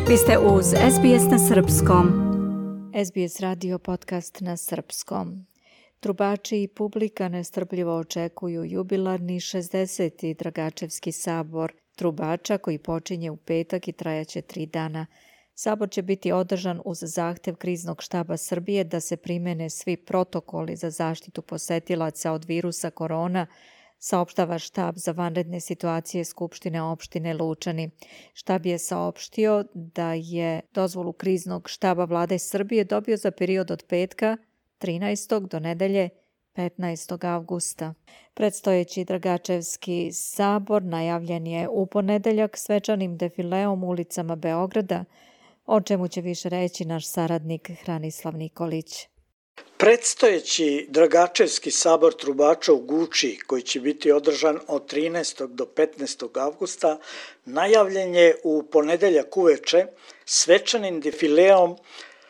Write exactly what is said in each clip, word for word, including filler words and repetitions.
Vi ste uz S B S na srpskom. S B S radio podcast na srpskom. Trubači i publika nestrpljivo očekuju jubilarni šezdeseti Dragačevski sabor trubača koji počinje u petak i trajaće tri dana. Sabor će biti održan uz zahtev Kriznog štaba Srbije da se primene svi protokoli za zaštitu posetilaca od virusa korona, saopštava štab za vanredne situacije Skupštine opštine Lučani. Štab je saopštio da je dozvolu Kriznog štaba Vlade Srbije dobio za period od petka trinaestog do nedelje petnaestog avgusta. Predstojeći Dragačevski sabor najavljen je u ponedeljak svečanim defileom ulicama Beograda, o čemu će više reći naš saradnik Hranislav Nikolić. Predstojeći Dragačevski sabor trubača u Guči, koji će biti održan od trinaestog do petnaestog avgusta, najavljen je u ponedeljak uveče svečanim defileom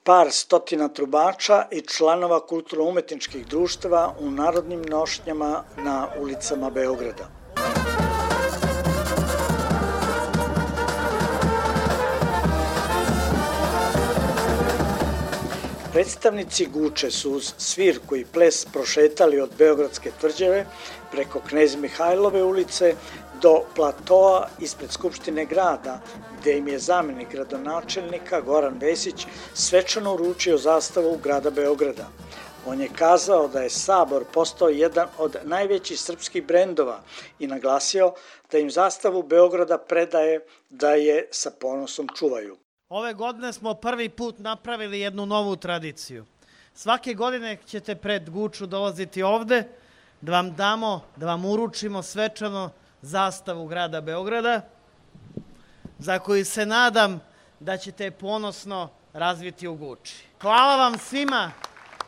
par stotina trubača i članova kulturno-umetničkih društava u narodnim nošnjama na ulicama Beograda. Predstavnici Guče su uz svirku i ples prošetali od Beogradske tvrđave preko Knez Mihajlove ulice do platoa ispred Skupštine grada, gde im je zamenik gradonačelnika Goran Vesić svečano uručio zastavu grada Beograda. On je kazao da je sabor postao jedan od najvećih srpskih brendova i naglasio da im zastavu Beograda predaje da je sa ponosom čuvaju. Ove godine smo prvi put napravili jednu novu tradiciju. Svake godine ćete pred Guču dolaziti ovde da vam damo, da vam uručimo svečano zastavu grada Beograda, za koju se nadam da ćete ponosno razviti u Guči. Hvala vam svima,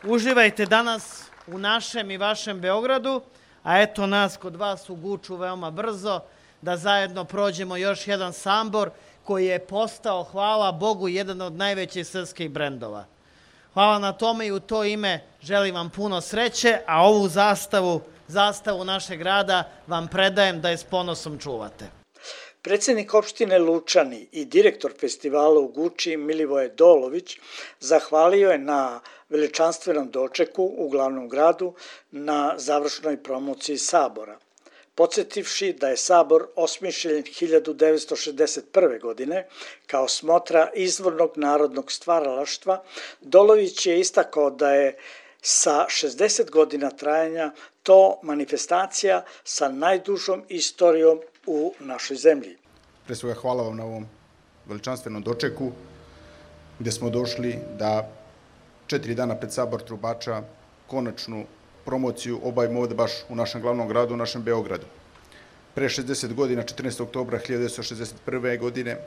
uživajte danas u našem i vašem Beogradu, a eto nas kod vas u Guču veoma brzo, da zajedno prođemo još jedan sabor koji je postao, hvala Bogu, jedan od najvećih srpskih brendova. Hvala na tome i u to ime želim vam puno sreće, a ovu zastavu, zastavu našeg grada vam predajem da je s ponosom čuvate. Predsjednik opštine Lučani i direktor festivala u Guči Milivoje Dolović zahvalio je na veličanstvenom dočeku u glavnom gradu na završnoj promociji sabora. Podsjetivši da je sabor osmišljen hiljadu devetsto šezdeset prve. godine kao smotra izvornog narodnog stvaralaštva, Dolović je istakao da je sa šezdeset godina trajanja to manifestacija sa najdužom istorijom u našoj zemlji. Pre svega hvala vam na ovom veličanstvenom dočeku gde smo došli da četiri dana pred sabor trubača konačnu promociju obavimo ovde baš u našem glavnom gradu, u našem Beogradu. Pre šezdeset godina, četrnaestog oktobra hiljadu devetsto šezdeset prve. godine,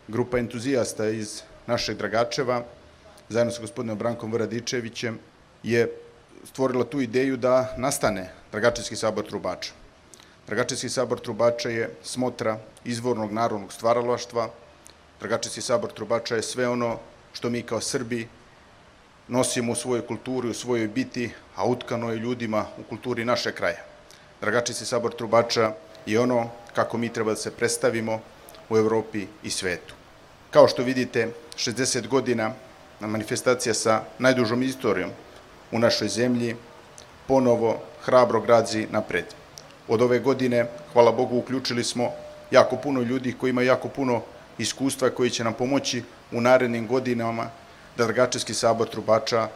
grupa entuzijasta iz našeg Dragačeva, zajedno sa gospodinom Brankom Vradičevićem, je stvorila tu ideju da nastane Dragačevski sabor trubača. Dragačevski sabor trubača je smotra izvornog narodnog stvaralaštva. Dragačevski sabor trubača je sve ono što mi kao Srbi nosimo u svojoj kulturi, u svojoj biti, a utkano je ljudima u kulturi naše kraja. Dragačevski sabor trubača je ono kako mi treba da se predstavimo u Evropi i svetu. Kao što vidite, šezdeset godina na manifestacija sa najdužom istorijom u našoj zemlji ponovo hrabro grazi napred. Od ove godine, hvala Bogu, uključili smo jako puno ljudi koji imaju jako puno iskustva koji će nam pomoći u narednim godinama da Dragačevski sabor trubača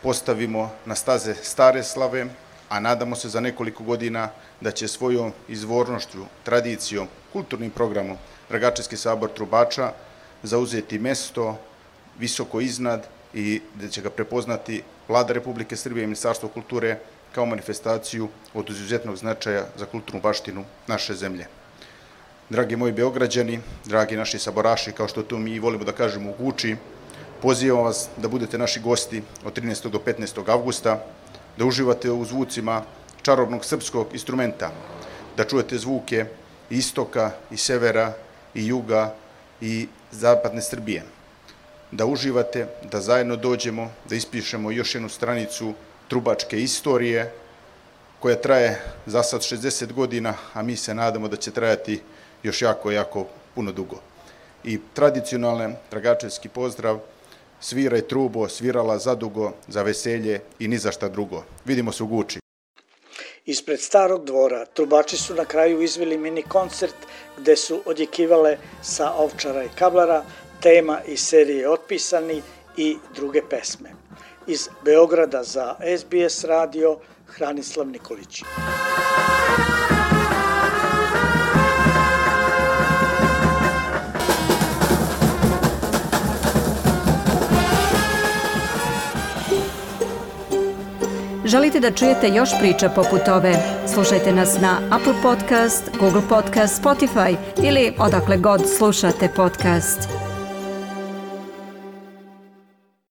postavimo na staze stare slave, a nadamo se za nekoliko godina da će svojom izvornošću, tradicijom, kulturnim programom Dragačevski sabor trubača zauzeti mesto visoko iznad i da će ga prepoznati Vlada Republike Srbije i Ministarstvo kulture kao manifestaciju od izuzetnog značaja za kulturnu baštinu naše zemlje. Dragi moji Beograđani, dragi naši saboraši, kao što to mi volimo da kažemo u Guči, pozivam vas da budete naši gosti od trinaestog do petnaestog avgusta, da uživate u zvucima čarobnog srpskog instrumenta, da čujete zvuke istoka i severa i juga i zapadne Srbije, da uživate, da zajedno dođemo, da ispišemo još jednu stranicu trubačke istorije koja traje za sad šezdeset godina, a mi se nadamo da će trajati još jako, jako puno dugo. i tradicionalni dragačevski pozdrav sviraj trubo, svirala zadugo, za veselje i ni za šta drugo. Vidimo se u Guči. Ispred Starog dvora trubači su na kraju izveli mini koncert gde su odjekivale Sa Ovčara i Kablara, tema iz serije Otpisani i druge pesme. Iz Beograda za S B S radio, Hranislav Nikolić. Želite da čujete još priča poput ove? Slušajte nas na Apple Podcast, Google Podcast, Spotify ili odakle god slušate podcast.